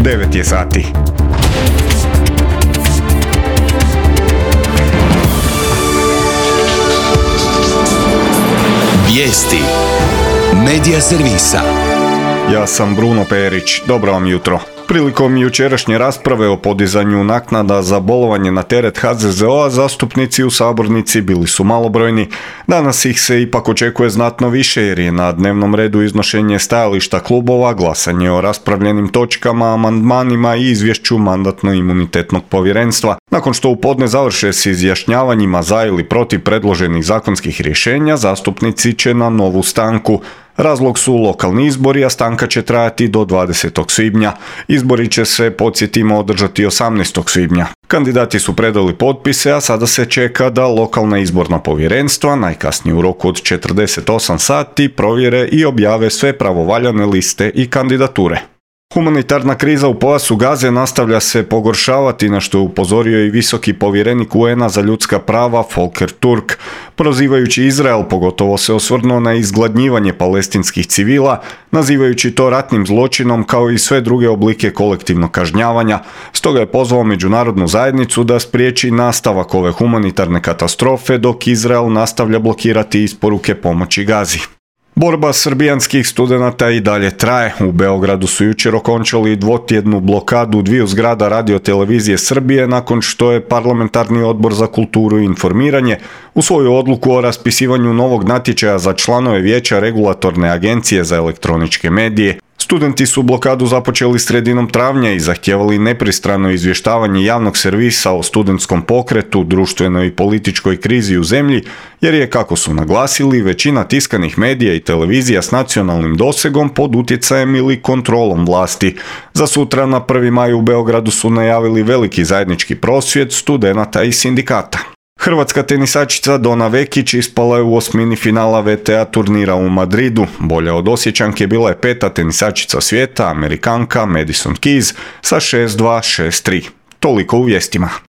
9 je sati. Vijesti Medija servisa. Ja sam Bruno Perić, dobro vam jutro. Prilikom jučerašnje rasprave o podizanju naknada za bolovanje na teret HZZO-a zastupnici u sabornici bili su malobrojni. Danas ih se ipak očekuje znatno više jer je na dnevnom redu iznošenje stajališta klubova, glasanje o raspravljenim točkama, amandmanima i izvješću Mandatno-imunitetnog povjerenstva. Nakon što u podne završe s izjašnjavanjima za ili protiv predloženih zakonskih rješenja, zastupnici će na novu stanku. Razlog su lokalni izbori, a stanka će trajati do 20. svibnja. Izbori će se, podsjetimo, održati 18. svibnja. Kandidati su predali potpise, a sada se čeka da lokalna izborna povjerenstva, najkasnije u roku od 48 sati, provjere i objave sve pravovaljane liste i kandidature. Humanitarna kriza u pojasu Gaze nastavlja se pogoršavati, na što je upozorio i visoki povjerenik UN-a za ljudska prava Volker Turk. Prozivajući Izrael, pogotovo se osvrnuo na izgladnjivanje palestinskih civila, nazivajući to ratnim zločinom kao i sve druge oblike kolektivnog kažnjavanja. Stoga je pozvao međunarodnu zajednicu da spriječi nastavak ove humanitarne katastrofe dok Izrael nastavlja blokirati isporuke pomoći Gazi. Borba srbijanskih studenata i dalje traje. U Beogradu su jučer okončali dvotjednu blokadu dviju zgrada radiotelevizije Srbije nakon što je Parlamentarni odbor za kulturu i informiranje u svoju odluku o raspisivanju novog natječaja za članove vijeća Regulatorne agencije za elektroničke medije. Studenti su blokadu započeli sredinom travnja i zahtijevali nepristrano izvještavanje javnog servisa o studentskom pokretu, društvenoj i političkoj krizi u zemlji, jer je, kako su naglasili, većina tiskanih medija i televizija s nacionalnim dosegom pod utjecajem ili kontrolom vlasti. Za sutra na 1. maj u Beogradu su najavili veliki zajednički prosvjed studenata i sindikata. Hrvatska tenisačica Dona Vekić ispala je u osmini finala WTA turnira u Madridu. Bolja od Osječanke bila je 5. tenisačica svijeta, Amerikanka Madison Keys sa 6-2, 6-3. Toliko u vijestima.